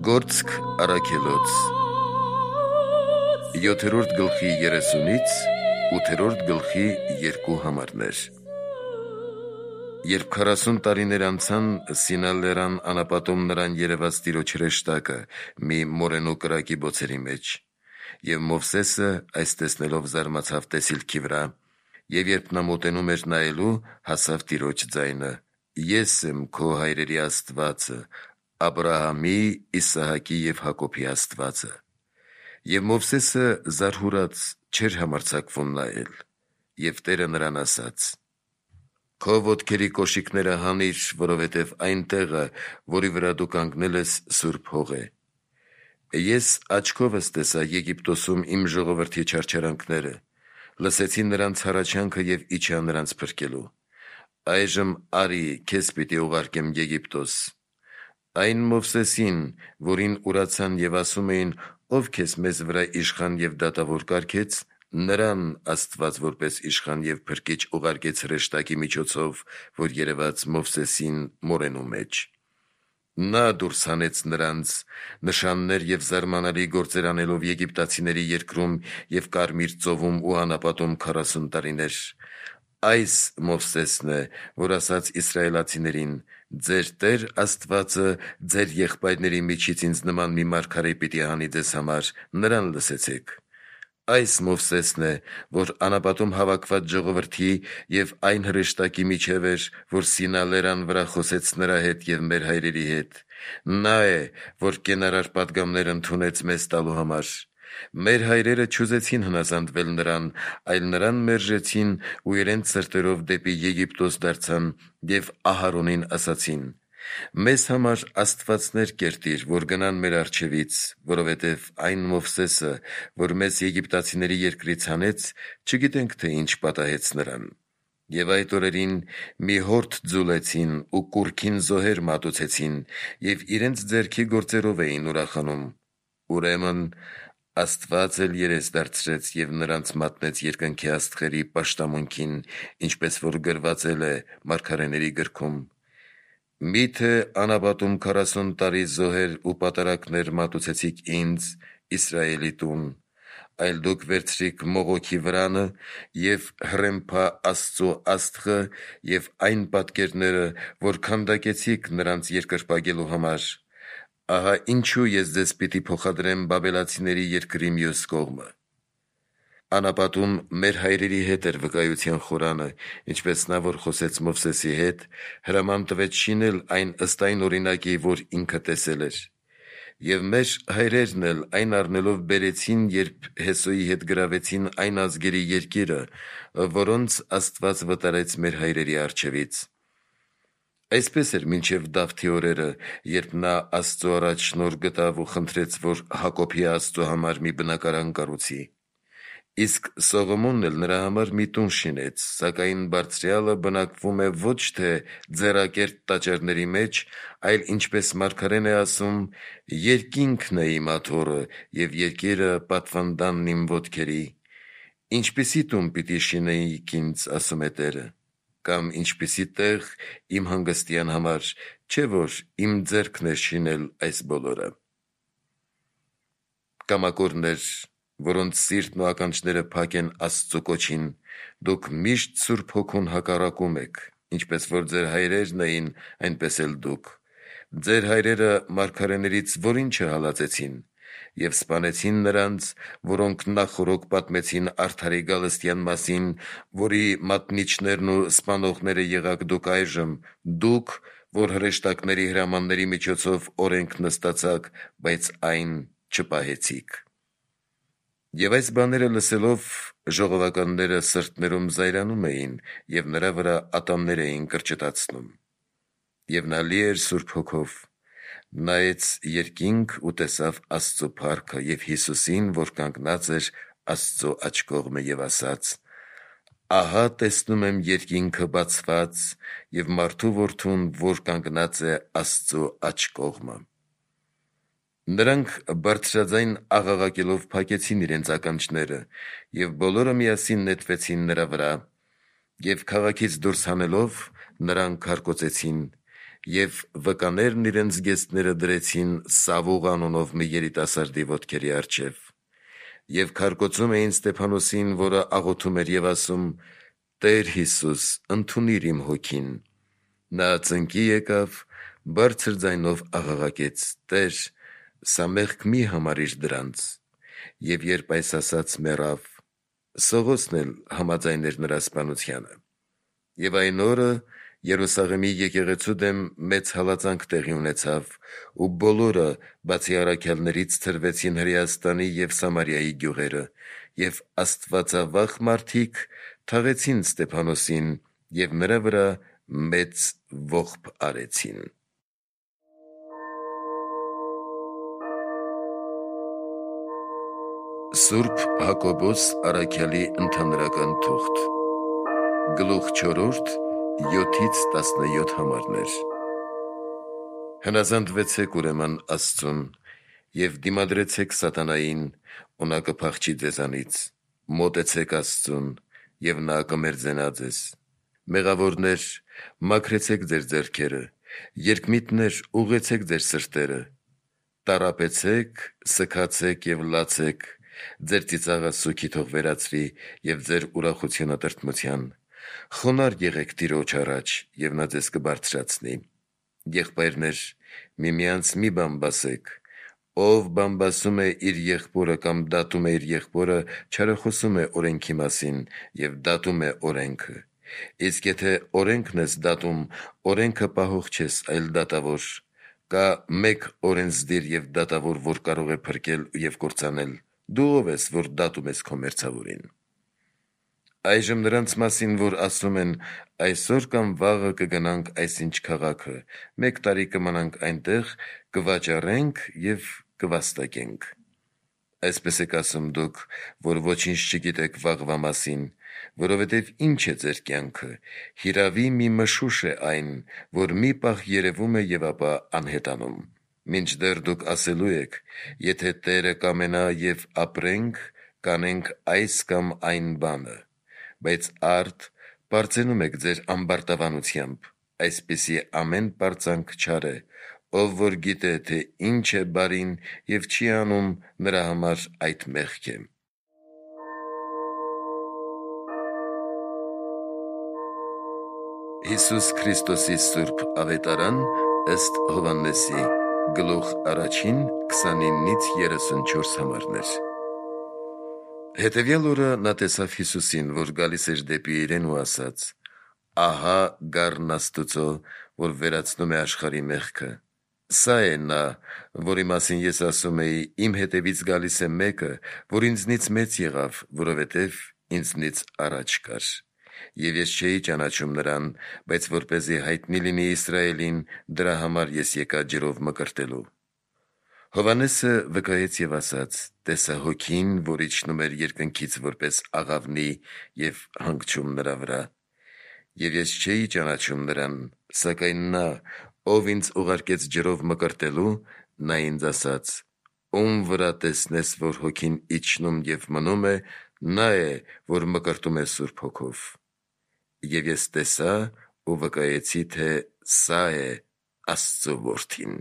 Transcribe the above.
Գործք առաքելոց 7-րդ գլխի 30-ից 8-րդ գլխի 2 համարներ։ Երբ 40 տարիներ անցան, Սինա լեռան անապատում նրան երևաց Տիրոջ հրեշտակը մի մորենու կրակի բոցերի մեջ, եւ Մովսեսը այս տեսնելով զարմացավ տեսիլքի վրա, եւ երբ նա մոտենում էր նայելու, հասավ Տիրոջ ձայնը. «Ես եմ քո հայրերի Աստվածը, Աբրահամի, Իսահակի եւ Հակոբի Աստվածը»։ Եվ Մովսեսը զարհուրած չէր համարձակվում նայել, եւ Տերը նրան ասաց. «Քո ոտքերի կոշիկները հանիր, որովհետեւ այն տեղը, որի վրա դու կանգնել ես, սուրբ հող է։ Ես աչքովս տեսա Եգիպտոսում իմ ժողովրդի չարչարանքները, լսեցի նրանց հառաչանքը եւ իջա նրանց փրկելու։ Այժմ արի, քեզ պիտի ուղարկեմ Եգիպտոս։ Այն Մովսեսին, որին ուրացան եւ ասում էին, ով քեզ մեզ վրա իշխան եւ դատավոր կարգեց, նրան Աստված որպես իշխան եւ փրկիչ ուղարկեց հրեշտակի միջոցով, որ երևաց Մովսեսին մորենու մեջ։ Նա դուրս հանեց նրանց, նշաններ եւ զարմանալի գործեր անելով եգիպտացիների երկրում եւ Կարմիր ծովում ու անապատում 40 տարիներ։ Այս Մովսեսն է, որ ասաց իսրայելացիներին. «Ձեր Տեր Աստվածը ձեր եղբայրների միջից ինձ նման մի մարգարե պիտի հանի ձեզ համար, նրան լսեցեք»։ Այս Մովսեսն է, որ անապատում հավաքված ժողովրդի եւ այն հրեշտակի միջև էր, որ Սինա լեռան վրա խոսեց նրա հետ եւ մեր հայրերի հետ։ Նա է, որ կենարար պատգամներ ընդունեց մեզ տալու համար։ Մեր հայրերը չուզեցին հնազանդվել նրան, այլ նրան մերժեցին ու իրենց սրտերով դեպի Եգիպտոս դարձան եւ Ահարոնին ասացին. «Մեզ համար աստվածներ կերտիր, որ գնան մեր առջևից, որովհետեւ այն Մովսեսը, որ մեզ եգիպտացիների երկրից հանեց, չգիտենք թե ինչ պատահեց նրան»։ Եվ այդ օրերին մի հորդ ձուլեցին ու կուռքին զոհեր մատուցեցին եւ իրենց ձեռքի գործերով էին ուրախանում։ Ուրեմն Աստված էլ երես դարձրեց եւ նրանց մատնեց երկնքի աստղերի պաշտամունքին, ինչպես որ գրված է մարգարեների գրքում. «Միթե անապատում 40 տարի զոհեր ու պատարակներ մատուցեցիք ինձ, Իսրայելի տուն, այլ դուք վերցրիք մողոքի վրանը եւ հռեմփա Աստծո աստղը եւ այն պատկերները, որ քանդակեցիք նրանց երկրպագելու համար։ Ահա ինչու ես ձեզ պիտի փոխադրեմ բաբելացիների երկրի մյուս կողմը»։ Անապատում մեր հայրերի հետ էր վկայության խորանը, ինչպես նա, որ խոսեց Մովսեսի հետ, հրաման տվեց շինել այն ըստ այն օրինակի, որ ինքը տեսել էր։ Եվ մեր հայրերն էլ այն առնելով բերեցին, երբ Հեսոյի հետ գրավեցին այն ազգերի երկիրը, որոնց Աստված վտարեց մեր հայրերի առջևից։ Այսպես էր մինչև Դավթի օրերը, երբ նա Աստծո առաջ շնորհ գտավ ու խնդրեց, որ Հակոբի Աստծո համար մի բնակարան կառուցի։ Իսկ Սողոմոնն էլ նրա համար մի տուն շինեց, սակայն Բարձրյալը բնակվում է ոչ թե ձեռակերտ տաճարների մեջ, այլ ինչպես մարգարեն է ասում. «Երկինքն է իմ աթոռը եւ երկիրը պատվանդանն իմ ոտքերի։ Ինչպիսի տուն պիտի շինեիք ինձ, ասում է Տերը, կամ ինչպիսի տեղ իմ հանգստյան համար, չէ՞ որ իմ ձեռքն է շինել այս բոլորը»։ Կամակորներ, որոնց սիրտն ու ականջները փակ են Աստծո կոչին, դուք միշտ Սուրբ Հոգուն հակառակում եք, ինչպես որ ձեր հայրերն էին, այնպես էլ դուք։ Ձեր հայրերը մարգարեներից որին չհալածեցին եւ սպանեցին նրանց, որոնք նախօրոք պատմեցին արդարի գալստյան մասին, որի մատնիչներն ու սպանողները եղաք դուք այժմ, դուք, որ հրեշտակների հրամանների միջոցով օրենք նստացաք, բայց այն չպահեցիք։ Եվ այս բաները լսելով ժողովականները սրտներում զայրանում էին եւ նրա վրա ատամներ էին կրճտացնում։ Եվ նա լի էր Սուրբ Հոգով, նայեց երկինք ու տեսավ Աստծո փառքը եւ Հիսուսին, որ կանգնած էր Աստծո աջ կողմը, եւ ասաց. «Ահա տեսնում եմ երկինքը բացված եւ մարդու որդուն, որ կանգնած է Աստծո աջ կողմը»։ Նրանք բարձրաձայն աղաղակելով փակեցին իրենց ականջները եւ բոլորը միասին նետվեցին նրա վրա եւ քաղաքից դուրս հանելով նրան քարկոծեցին Եվ վկաներն իրենց գեստները դրեցին Սավուղ անունով մի երիտասարդի ոտքերի առջև, և քարկոծում էին Ստեփանոսին, որը աղոթում էր և ասում. «Տեր Հիսուս, ընդունիր իմ հոգին»։ Նա ծնկի եկավ, բարձր ձայնով աղաղակեց. «Տեր, սա մեղք մի համարիր դրանց»։ Եվ երբ այս ասաց, մեռավ։ Սողոսն էլ համաձայներ նրա սպանությանը։ Եվ այն օրը Երուսաղեմի եկեղեցու դեմ մեծ հալածանք տեղի ունեցավ, ու բոլորը, բացի առաքյալներից, ցրվեցին Հրեաստանի և Սամարիայի գյուղերը, և աստվածավախ մարդիկ թաղեցին Ստեփանոսին և նրա վրա մեծ ողբ արեցին։ Սուրբ Հակոբոս առաքյալի ընդհանրական թուղթ, գլուխ 4, 7-17 համարներ։ Հնազանդվեցեք ուրեմն Աստծուն և դիմադրեցեք սատանային, ու նա կփախչի ձեզանից. մոտեցեք Աստծուն, և նա կմերձենա ձեզ։ Մեղավորներ, մաքրեցեք ձեր ձեռքերը, երկմիտներ, ուղղեցեք ձեր սրտերը, տառապեցեք, սգացեք և լացեք, ձեր ծիծաղը սուգի թող վերածվի և ձեր ուրախությունը տրտմության։ Խոնարհ եղեք Տիրոջ առաջ, և նա ձեզ կբարձրացնի։ Եղբայրներ, միմյանց մի բամբասեք։ Ով բամբասում է իր եղբորը կամ դատում է իր եղբորը, չարախոսում է օրենքի մասին և դատում է օրենքը։ Իսկ եթե օրենքն ես դատում, օրենքը պահող չես, այլ դատավոր։ Կա մեկ օրենսդիր և դատավոր, որ կարող է փրկել և կործանել։ Դու ո՞վ ես, որ դատում ես քո մերձավորին։ Այժմ նրանց մասին, որ ասում են. «Այսօր կամ վաղը կգնանք այսինչ քաղաքը, 1 տարի կմնանք այնտեղ, կվաճառենք և կվաստակենք»։ Այսպես եք ասում դուք, որ ոչինչ չգիտեք վաղվա մասին, որովհետև ի՞նչ է ձեր կյանքը. հիրավի մի մշուշ է այն, որ մի պահ երևում է և ապա անհետանում։ Մինչդեռ դուք ասելու եք. «Եթե Տերը կամենա և ապրենք, կանենք այս կամ այն բանը», բայց արդ պարծենում եք ձեր ամբարտավանությամբ։ Այսպիսի ամեն պարծանք չար է։ Ով որ գիտե, թե ինչ է բարին և չի անում, նրա համար այդ մեղք է։ Հիսուս Քրիստոսի Սուրբ Ավետարան ըստ Հովհաննեսի, գլուխ 1, 29-34 համարներ։ Հետևյալ օրը նա տեսավ Հիսուսին, որ գալիս էր դեպի իրեն ու ասաց. «Ահա գառն Աստուծո, որ վերացնում է աշխարհի մեղքը։ Սա է նա, որի մասին ես ասում էի. իմ հետևից գալիս է մեկը, որ ինձնից մեծ եղավ, որովհետև ինձնից առաջ կար։ Եվ ես չէի ճանաչում նրան, բայց որպեսզի հայտնի լինի Իսրայելին, դրա համար ես եկա ջրով մկրտելու»։ Հովհաննեսը վկայեց և ասաց. «Տեսա Հոգին, որ իջնում էր երկնքից որպես աղավնի և հանգչում նրա վրա։ Եվ ես չէի ճանաչում նրան, սակայն նա, ով ինձ ուղարկեց ջրով մկրտելու, նա ինձ ասաց. «Ում վրա տեսնես, որ Հոգին իջնում և մնում է, նա է, որ մկրտում է Սուրբ Հոգով»։ Եվ ես տեսա ու վկայեցի, թե սա է Աստծո Որդին։